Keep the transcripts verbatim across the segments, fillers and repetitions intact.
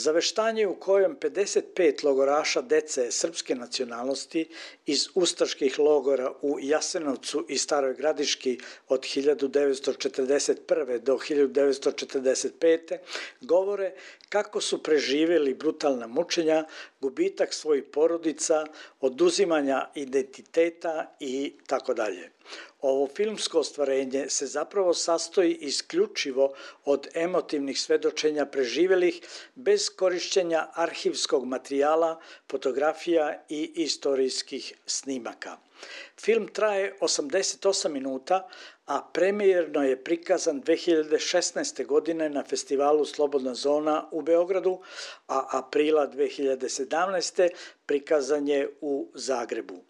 Zaveštanje u kojem pedeset pet logoraša dece srpske nacionalnosti iz ustaških logora u Jasenovcu i Staroj Gradiški od hiljadu devetsto četrdeset prve. do hiljadu devetsto četrdeset pete. govore kako su preživjeli brutalna mučenja, gubitak svojih porodica, oduzimanja identiteta i tako dalje. Ovo filmsko ostvarenje se zapravo sastoji isključivo od emotivnih svedočenja preživjelih bez korišćenja arhivskog materijala, fotografija i istorijskih snimaka. Film traje osamdeset osam minuta, a premijerno je prikazan dve hiljade šesnaeste. godine na festivalu Slobodna zona u Beogradu, a aprila dve hiljade sedamnaeste. prikazan je u Zagrebu.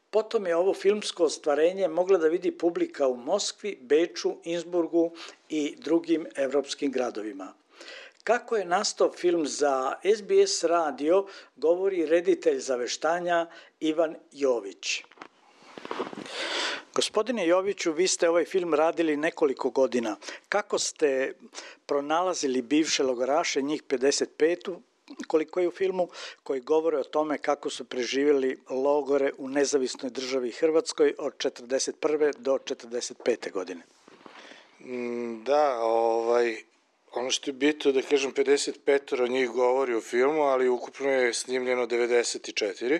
Potom je ovo filmsko ostvarenje mogla da vidi publika u Moskvi, Beču, Innsbrugu i drugim evropskim gradovima. Kako je nastao film za es be es radio, govori reditelj zaveštanja Ivan Jović. Gospodine Joviću, vi ste ovaj film radili nekoliko godina. Kako ste pronalazili bivše logoraše, njih pedeset pet, koliko je u filmu, koji govore o tome kako su preživjeli logore u nezavisnoj državi Hrvatskoj od četrdeset prve. do četrdeset pete. godine? Da, ovaj, ono što je bitno da kažem, pedeset pet od njih govori u filmu, ali ukupno je snimljeno devedeset četiri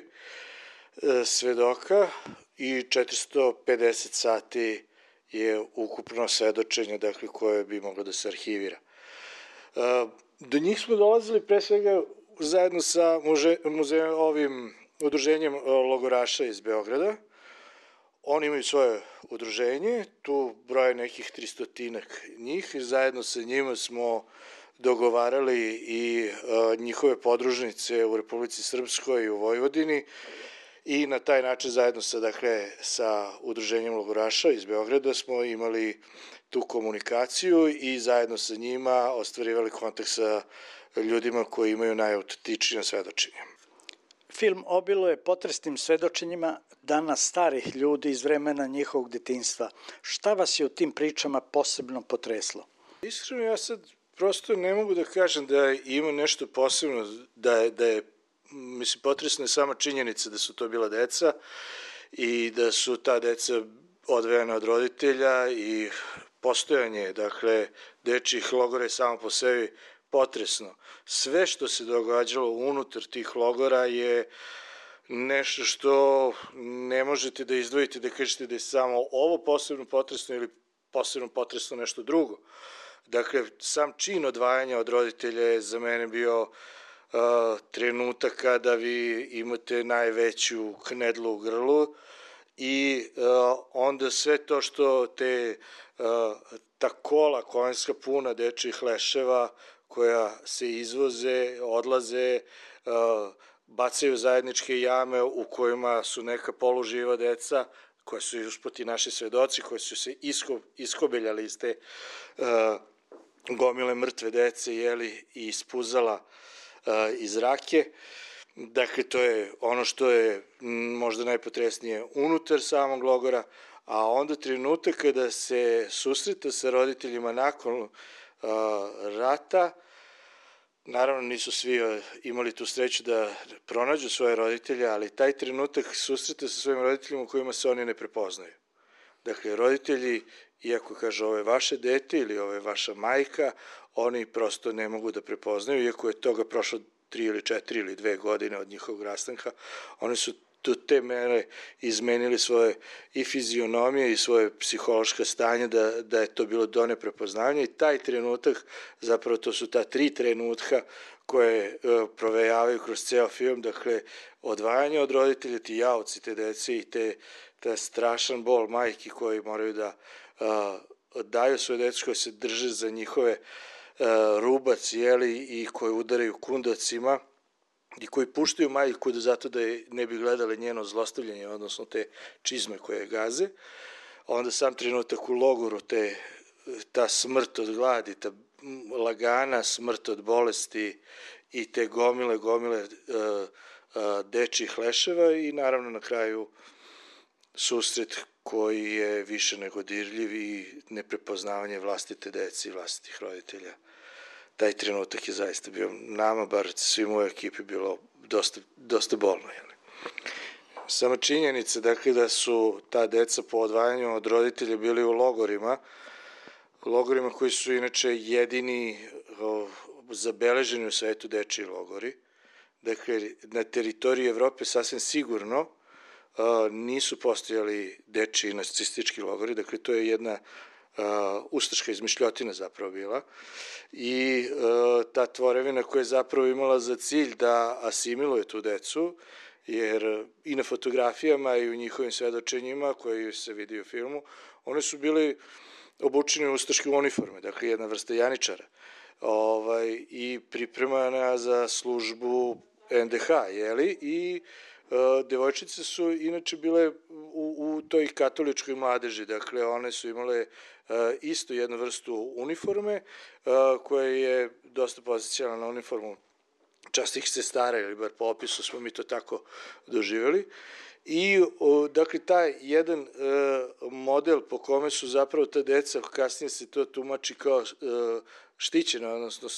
svedoka i četiristo pedeset sati je ukupno svedočenje, dakle, koje bi moglo da se arhivira. Do njih smo dolazili pre svega zajedno sa muže, muzejem, ovim udruženjem logoraša iz Beograda. Oni imaju svoje udruženje, tu broje nekih tristotinak njih i zajedno sa njima smo dogovarali i a, njihove podružnice u Republici Srpskoj i u Vojvodini i na taj način zajedno sa, dakle, sa udruženjem logoraša iz Beograda smo imali tu komunikaciju i zajedno sa njima ostvarivali kontakt sa ljudima koji imaju najautentičnije svedočenje. Film obiluje potresnim svedočenjima danas starih ljudi iz vremena njihovog detinjstva. Šta vas je u tim pričama posebno potreslo? Iskreno, ja sad prosto ne mogu da kažem da ima nešto posebno, da je, da je mislim, potresna je sama činjenica da su to bila deca i da su ta deca odvejena od roditelja i postojanje, dakle, dečjih logora je samo po sebi potresno. Sve što se događalo unutar tih logora je nešto što ne možete da izdvojite, da kažete da je samo ovo posebno potresno ili posebno potresno nešto drugo. Dakle, sam čin odvajanja od roditelja je za mene bio uh, trenutak kada vi imate najveću knedlu u grlu i uh, onda sve to što te uh, ta kola konjska puna dečjih leševa koja se izvoze, odlaze, uh, bacaju zajedničke jame u kojima su neka poluživa deca, koja su usput i naši svedoci, koji su se isko, iskobeljali iz te uh, gomile mrtve dece, jeli, i ispuzala uh, iz rake. Dakle, to je ono što je možda najpotresnije unutar samog logora, a onda trenutak kada se susreta sa roditeljima nakon uh, rata, naravno nisu svi imali tu sreću da pronađu svoje roditelje, ali taj trenutak susreta sa svojim roditeljima u kojima se oni ne prepoznaju. Dakle, roditelji, iako kaže ovo je vaše dete ili ovo je vaša majka, oni prosto ne mogu da prepoznaju, iako je toga prošlo tri ili četiri ili dve godine od njihovog rastanka, oni su do te mere izmenili svoje i fizionomije i svoje psihološka stanja da, da je to bilo do neprepoznavanja i taj trenutak, zapravo to su ta tri trenutka koje uh, provejavaju kroz ceo film, dakle, odvajanje od roditelja, ti jaoci te dece i te, te strašan bol majki koji moraju da uh, daju svoje decu, koje se drže za njihove uh, rubac, jeli, i koje udaraju kundacima, i koji puštaju majku da zato da je ne bi gledale njeno zlostavljanje, odnosno te čizme koje gaze. Onda sam trenutak u logoru, te, ta smrt od gladi, ta lagana smrt od bolesti i te gomile, gomile uh, uh, dečjih leševa i naravno na kraju susret koji je više nego dirljiv i neprepoznavanje vlastite dece i vlastitih roditelja. taj trenutak je zaista bio nama, bar svim u ekipi, bilo dosta, dosta bolno. Jel? Sama činjenica, dakle, da su ta deca po odvajanju od roditelja bili u logorima, logorima koji su inače jedini o, zabeleženi u svetu dečiji logori. Dakle, na teritoriji Evrope sasvim sigurno o, nisu postojali dečiji nacistički logori, dakle, to je jedna Uh, ustaška izmišljotina zapravo bila i uh, ta tvorevina koja je zapravo imala za cilj da asimiluje tu decu, jer i na fotografijama i u njihovim svedočenjima koji se vidi u filmu, one su bili obučeni u ustaške uniforme, dakle jedna vrsta janičara, ovaj, i pripremana za službu en de ha, jeli, i Uh, devojčice su inače bile u, u toj katoličkoj mladeži, dakle one su imale uh, isto jednu vrstu uniforme uh, koja je dosta posjećala na uniformu častih sestara, ili bar po opisu smo mi to tako doživjeli. I, uh, dakle, taj jedan uh, model po kome su zapravo ta deca, kasnije se to tumači kao uh, štićena, odnosno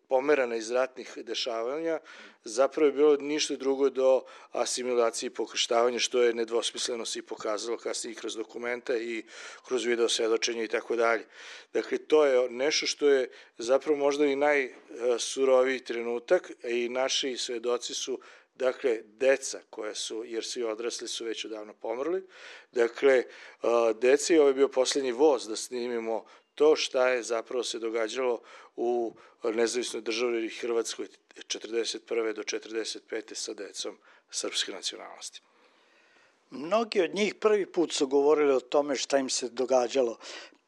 pomerana iz ratnih dešavanja, zapravo je bilo ništa drugo do asimilacije i pokrštavanja, što je nedvosmisleno se i pokazalo kasnije i kroz dokumenta i kroz video svedočenja i tako dalje. Dakle, to je nešto što je zapravo možda i najsuroviji trenutak i naši svedoci su, dakle, deca koja su, jer svi odrasli su već odavno pomrli, dakle, deca, i ovo je bio poslednji voz da snimimo to šta je zapravo se događalo u nezavisnoj državi Hrvatskoj četrdeset prve do četrdeset pete sa decom srpske nacionalnosti. Mnogi od njih prvi put su govorili o tome šta im se događalo,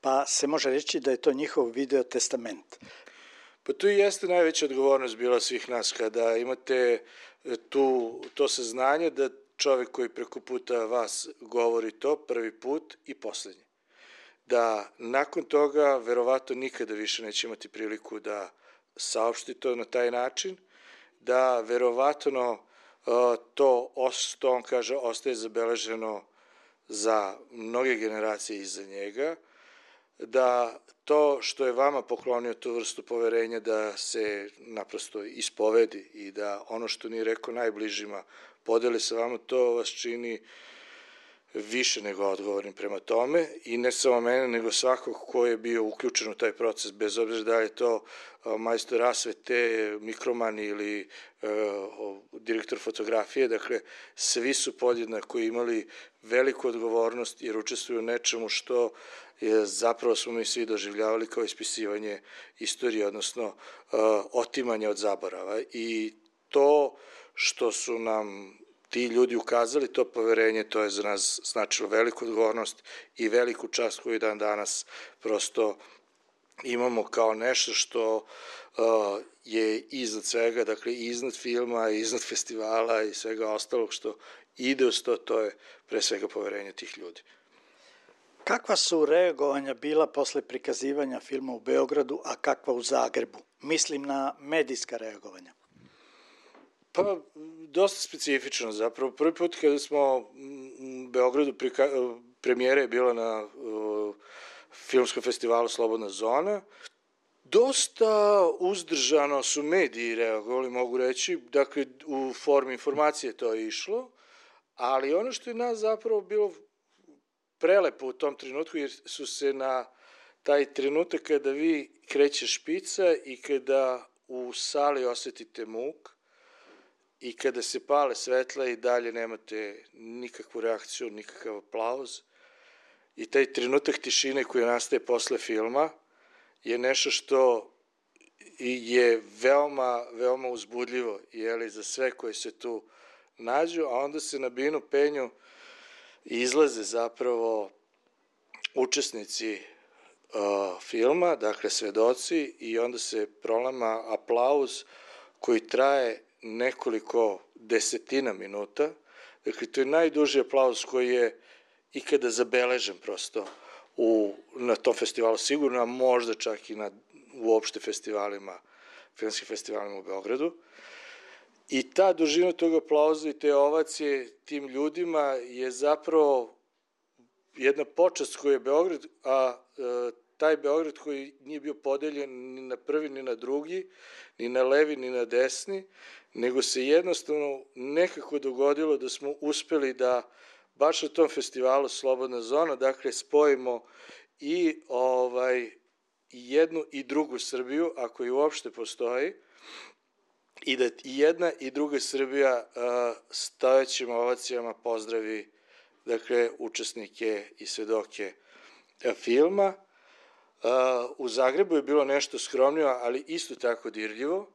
pa se može reći da je to njihov video testament. Pa tu i jeste najveća odgovornost bila svih nas, kada imate tu, to saznanje da čovek koji preko puta vas govori to prvi put i poslednji. Da nakon toga verovatno nikada više neće imati priliku da saopšti to na taj način, da verovatno uh, to, to on kaže, ostaje zabeleženo za mnoge generacije iza njega, da to što je vama poklonio tu vrstu poverenja da se naprosto ispovedi i da ono što nije rekao najbližima podeli sa vama, to vas čini više nego odgovornim prema tome, i ne samo mene, nego svakog ko je bio uključen u taj proces, bez obzira da je to majstor rasvete, mikroman ili uh, direktor fotografije. Dakle, svi su podjednako imali veliku odgovornost jer učestvuju u nečemu što je, zapravo smo mi svi doživljavali kao ispisivanje istorije, odnosno uh, otimanje od zaborava, i to što su nam ti ljudi ukazali, to poverenje, to je za nas značilo veliku odgovornost i veliku čast koju dan danas prosto imamo kao nešto što uh, je iznad svega, dakle iznad filma, iznad festivala i svega ostalog što ide uz to, to je pre svega poverenje tih ljudi. Kakva su reagovanja bila posle prikazivanja filma u Beogradu, a kakva u Zagrebu? Mislim na medijska reagovanja. Pa, dosta specifično zapravo. Prvi put kada smo u Beogradu, premijera je bila na uh, filmskom festivalu Slobodna zona, dosta uzdržano su mediji reagovali, mogu reći, dakle u formi informacije to je išlo, ali ono što je nas zapravo bilo prelepo u tom trenutku, jer su se na taj trenutak kada vi kreće špica i kada u sali osetite muk, i kada se pale svetla i dalje nemate nikakvu reakciju, nikakav aplauz, i taj trenutak tišine koji nastaje posle filma je nešto što je veoma, veoma uzbudljivo, jeli, za sve koji se tu nađu, a onda se na binu penju izlaze zapravo učesnici uh, filma, dakle svedoci, i onda se prolama aplauz koji traje nekoliko desetina minuta. Dakle, to je najduži aplauz koji je ikada zabeležen prosto u, na tom festivalu sigurno, a možda čak i na uopšte festivalima, filmskim festivalima u Beogradu. I ta dužina tog aplauza i te ovacije tim ljudima je zapravo jedna počast koju je Beograd, a taj Beograd koji nije bio podeljen ni na prvi ni na drugi, ni na levi ni na desni, nego se jednostavno nekako dogodilo da smo uspeli da baš na tom festivalu Slobodna zona, dakle, spojimo i ovaj, jednu i drugu Srbiju, ako i uopšte postoji, i da i jedna i druga Srbija stojećim ovacijama pozdravi, dakle, učesnike i svedoke filma. U Zagrebu je bilo nešto skromnije, ali isto tako dirljivo,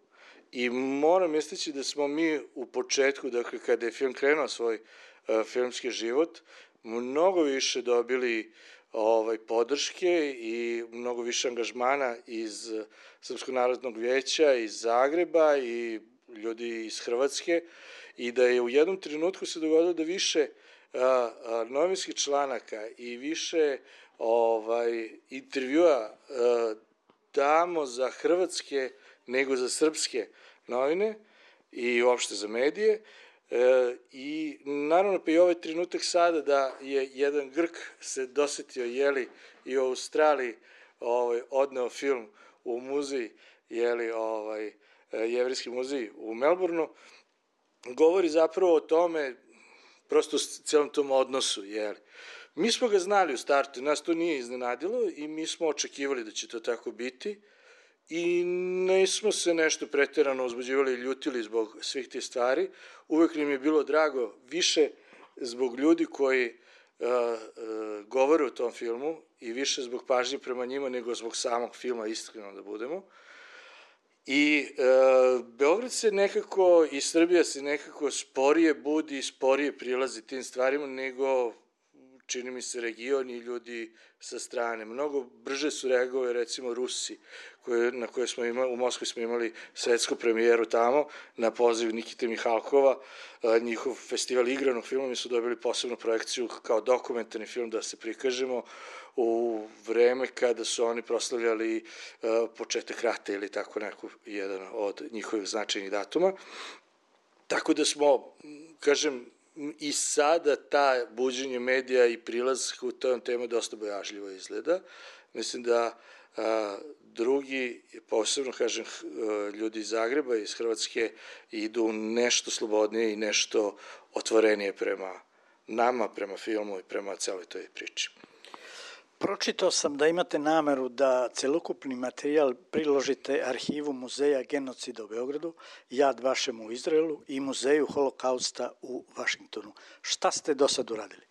i moram istaći da smo mi u početku, dakle, kada je film krenuo svoj filmski život, mnogo više dobili ovaj, podrške i mnogo više angažmana iz Srpskog narodnog vijeća, iz Zagreba i ljudi iz Hrvatske, i da je u jednom trenutku se dogodilo da više a, a, novinskih članaka i više ovaj, intervjua a, damo za hrvatske nego za srpske novine i uopšte za medije. E, i naravno pa i ovaj trenutak sada da je jedan Grk se dosetio, jeli, i u Australiji ovaj, odneo film u muzej, jeli, ovaj, Jevrejski muzej u Melbourneu, govori zapravo o tome, prosto s celom tom odnosu, jeli. Mi smo ga znali u startu, nas to nije iznenadilo i mi smo očekivali da će to tako biti, i nismo se nešto preterano uzbuđivali i ljutili zbog svih tih stvari. Uvek nam je bilo drago više zbog ljudi koji uh, uh, govore o tom filmu i više zbog pažnje prema njima nego zbog samog filma, iskreno da budemo. I uh, Beograd se nekako i Srbija se nekako sporije budi i sporije prilazi tim stvarima nego, čini mi se, region i ljudi sa strane. Mnogo brže su reagovali, recimo, Rusi, koje, na koje smo imali, u Moskvi smo imali svetsku premijeru tamo, na poziv Nikite Mihalkova, a, njihov festival igranog filma, mi su dobili posebnu projekciju kao dokumentarni film da se prikažemo u vreme kada su oni proslavljali a, početak rata ili tako neko, jedan od njihovih značajnih datuma. Tako da smo, kažem, i sada ta buđenje medija i prilaz u tom temu dosta bojažljivo izgleda. Mislim da a, drugi, posebno kažem, ljudi iz Zagreba, iz Hrvatske, idu nešto slobodnije i nešto otvorenije prema nama, prema filmu i prema celoj toj priči. Pročitao sam da imate nameru da celokupni materijal priložite arhivu Muzeja genocida u Beogradu, Jad Vašem u Izraelu i Muzeju holokausta u Vašingtonu. Šta ste do sad uradili?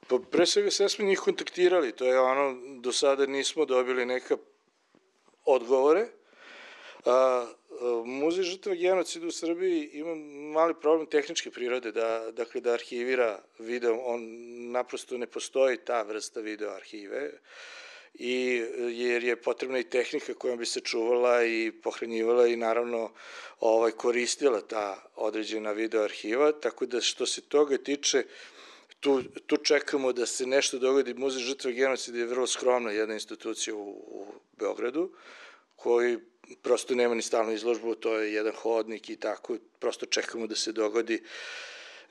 Pa pre svega sve smo njih kontaktirali, to je ono, do sada nismo dobili neka odgovore. A, Muzej žrtava genocida u Srbiji ima mali problem tehničke prirode, da, dakle, da arhivira video, on naprosto ne postoji ta vrsta video arhive, i jer je potrebna i tehnika kojom bi se čuvala i pohranjivala i naravno ovaj, koristila ta određena video arhiva, tako da što se toga tiče, tu, tu čekamo da se nešto dogodi. Muzej žrtava genocida je vrlo skromna jedna institucija u, u Beogradu, koji prosto nema ni stalnu izložbu, to je jedan hodnik i tako, prosto čekamo da se dogodi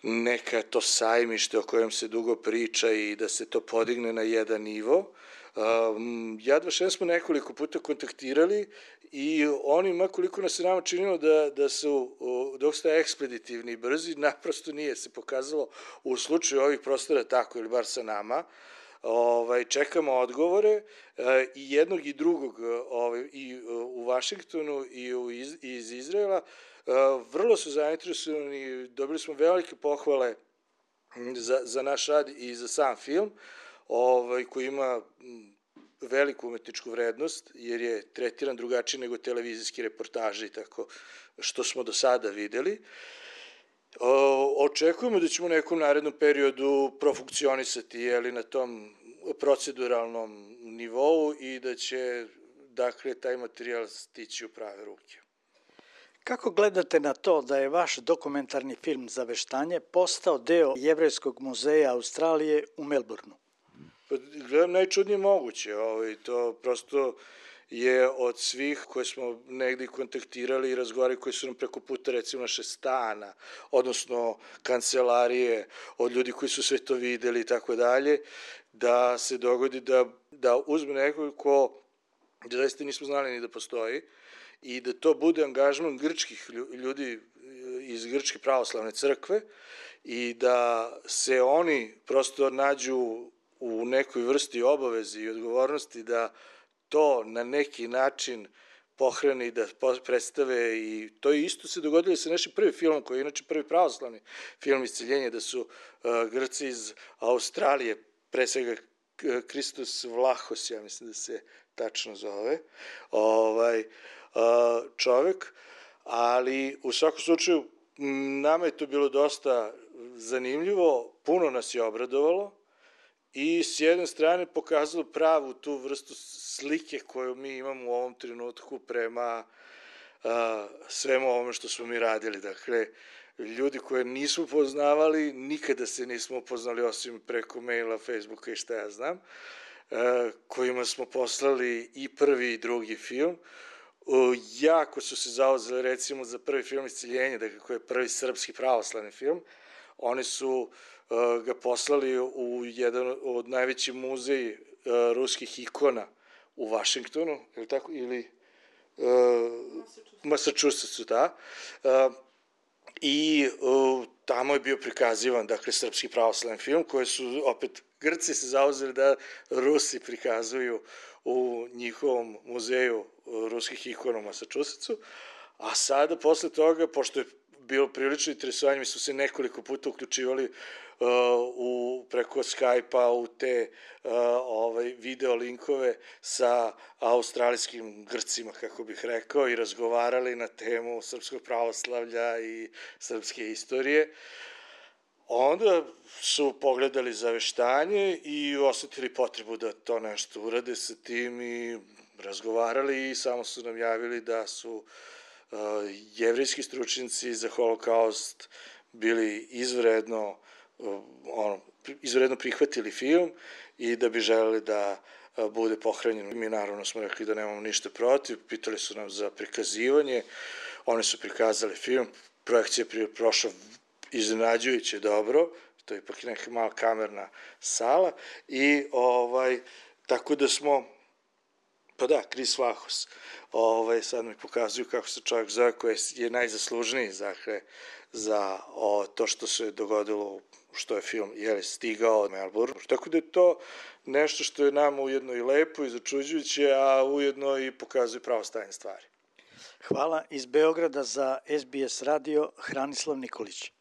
neka to sajmište o kojem se dugo priča i da se to podigne na jedan nivo. Jad Vašem smo nekoliko puta kontaktirali i oni, makoliko nas se nama činilo da, da su dosta ekspeditivni i brzi, naprosto nije se pokazalo u slučaju ovih prostora tako, ili bar sa nama. Ovaj, čekamo odgovore e, i jednog i drugog ovaj, i u Vašingtonu i u, iz, iz Izraela. E, vrlo su zainteresovani, dobili smo velike pohvale za, za naš rad i za sam film, ovaj, koji ima veliku umetničku vrednost, jer je tretiran drugačije nego televizijski reportaži, tako što smo do sada videli. O, očekujemo da ćemo u nekom narednom periodu profunkcionisati, jeli, na tom proceduralnom nivou i da će, dakle, taj materijal stići u prave ruke. Kako gledate na to da je vaš dokumentarni film Zaveštanje postao deo Jevrejskog muzeja Australije u Melbourneu? Pa, gledam najčudnije moguće, ovaj, to prosto je od svih koje smo negde kontaktirali i razgovarali, koji su nam preko puta recimo naše stana, odnosno kancelarije, od ljudi koji su sve to videli i tako dalje, da se dogodi da, da uzme nekog ko da zaista nismo znali ni da postoji i da to bude angažman grčkih ljudi iz Grčke pravoslavne crkve i da se oni prosto nađu u nekoj vrsti obavezi i odgovornosti da to na neki način pohrani, da predstave i to je isto se dogodilo sa našim prvi filmom koji je inače prvi pravoslavni film Isceljenje, da su uh, Grci iz Australije, pre svega Kristos Vlahos, ja mislim da se tačno zove, ovaj, uh, čovek, ali u svakom slučaju nama je to bilo dosta zanimljivo, puno nas je obradovalo i s jedne strane pokazalo pravu tu vrstu slike koju mi imamo u ovom trenutku prema uh, svemu ovome što smo mi radili. Dakle, ljudi koje nismo poznavali, nikada se nismo upoznali osim preko maila, Facebooka i šta ja znam, uh, kojima smo poslali i prvi i drugi film. Uh, jako su se zauzeli recimo za prvi film Isceljenje, dakle, koji je prvi srpski pravoslavni film. Oni su uh, ga poslali u jedan od najvećih muzeji uh, ruskih ikona u Vašingtonu, ili tako, ili uh, Massachusettsu, da. Uh, I uh, tamo je bio prikazivan, dakle, srpski pravoslavni film, koji su opet Grci se zauzeli da Rusi prikazuju u njihovom muzeju ruskih ikona u Massachusettsu, a sada posle toga, pošto je bilo prilično interesovanje, mi smo se nekoliko puta uključivali uh, u, preko Skype-a u te uh, ovaj, video linkove sa australijskim Grcima, kako bih rekao, i razgovarali na temu srpskog pravoslavlja i srpske istorije. Onda su pogledali zaveštanje i osetili potrebu da to nešto urade sa tim i razgovarali i samo su nam javili da su uh, jevrijski stručnjaci za holokaust bili izvredno, uh, ono, izvredno prihvatili film i da bi želeli da uh, bude pohranjen. Mi naravno smo rekli da nemamo ništa protiv, pitali su nam za prikazivanje, oni su prikazali film, projekcija je prošla iznenađujuće dobro, to je ipak neka mala kamerna sala i ovaj, tako da smo, pa da, Kris Vlahos, ovaj, sad mi pokazuju kako se čovjek zove koji je najzaslužniji dakle, za o, to što se dogodilo, što je film je stigao od Melbourne. Tako da je to nešto što je nama ujedno i lepo i začuđujuće, a ujedno i pokazuje pravo stanje stvari. Hvala iz Beograda za S B S radio, Hranislav Nikolić.